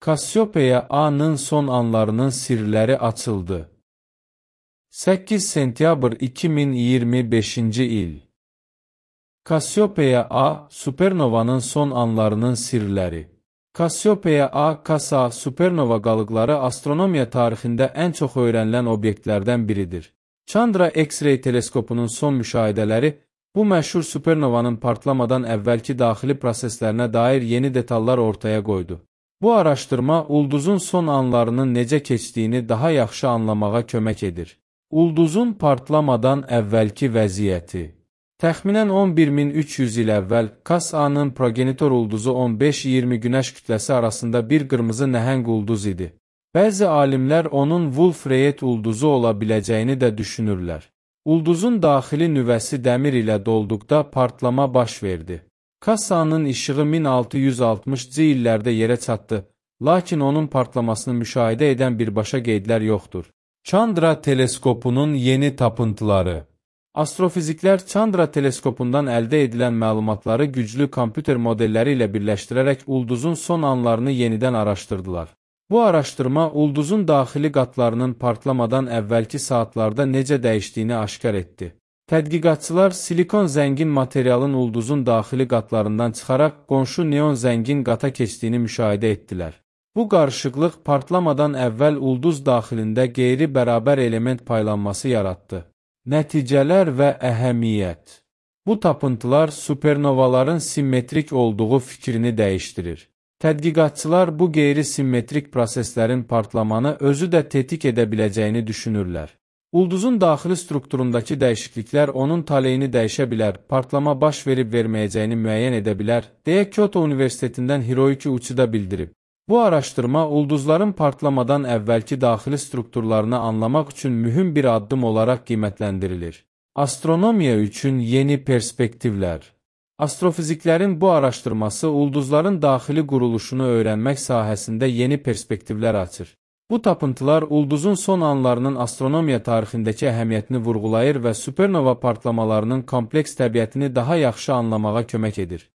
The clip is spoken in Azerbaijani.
Kassiopeiya A-nın son anlarının sirləri açıldı. 8 sentyabr 2025-ci il. Kassiopeiya A, supernovanın son anlarının sirləri. Kassiopeiya A, Kassa supernova qalıqları astronomiya tarixində ən çox öyrənilən obyektlərdən biridir. Chandra X-ray teleskopunun son müşahidələri bu məşhur supernovanın partlamadan əvvəlki daxili proseslərinə dair yeni detallar ortaya qoydu. Bu araşdırma ulduzun son anlarının necə keçdiyini daha yaxşı anlamağa kömək edir. Ulduzun partlamadan əvvəlki vəziyyəti. Təxminən 11.300 il əvvəl Kassa-nın progenitor ulduzu 15-20 günəş kütləsi arasında bir qırmızı nəhəng ulduz idi. Bəzi alimlər onun Wolf-Rayet ulduzu ola biləcəyini də düşünürlər. Ulduzun daxili nüvəsi dəmir ilə dolduqda partlama baş verdi. Kassa-nın işığı 1660-cı illərdə yerə çatdı, lakin onun partlamasını müşahidə edən birbaşa qeydlər yoxdur. Chandra teleskopunun yeni tapıntıları. Astrofiziklər Chandra teleskopundan əldə edilən məlumatları güclü kompüter modelləri ilə birləşdirərək ulduzun son anlarını yenidən araşdırdılar. Bu araşdırma ulduzun daxili qatlarının partlamadan əvvəlki saatlarda necə dəyişdiyini aşkar etdi. Tədqiqatçılar silikon zəngin materialın ulduzun daxili qatlarından çıxaraq qonşu neon zəngin qata keçdiyini müşahidə etdilər. Bu qarışıqlıq partlamadan əvvəl ulduz daxilində qeyri-bərabər element paylanması yaratdı. Nəticələr və əhəmiyyət. Bu tapıntılar supernovaların simmetrik olduğu fikrini dəyişdirir. Tədqiqatçılar bu qeyri-simmetrik proseslərin partlamanı özü də tetik edə biləcəyini düşünürlər. Ulduzun daxili strukturundakı dəyişikliklər onun taleyini dəyişə bilər, partlama baş verib-verməyəcəyini müəyyən edə bilər, deyə Kyoto Universitetindən Hiroyuki Uchida bildirib. Bu araşdırma ulduzların partlamadan əvvəlki daxili strukturlarını anlamaq üçün mühüm bir addım olaraq qiymətləndirilir. Astronomiya üçün yeni perspektivlər. Astrofiziklərin bu araşdırması ulduzların daxili quruluşunu öyrənmək sahəsində yeni perspektivlər açır. Bu tapıntılar ulduzun son anlarının astronomiya tarixindəki əhəmiyyətini vurğulayır və supernova partlamalarının kompleks təbiətini daha yaxşı anlamağa kömək edir.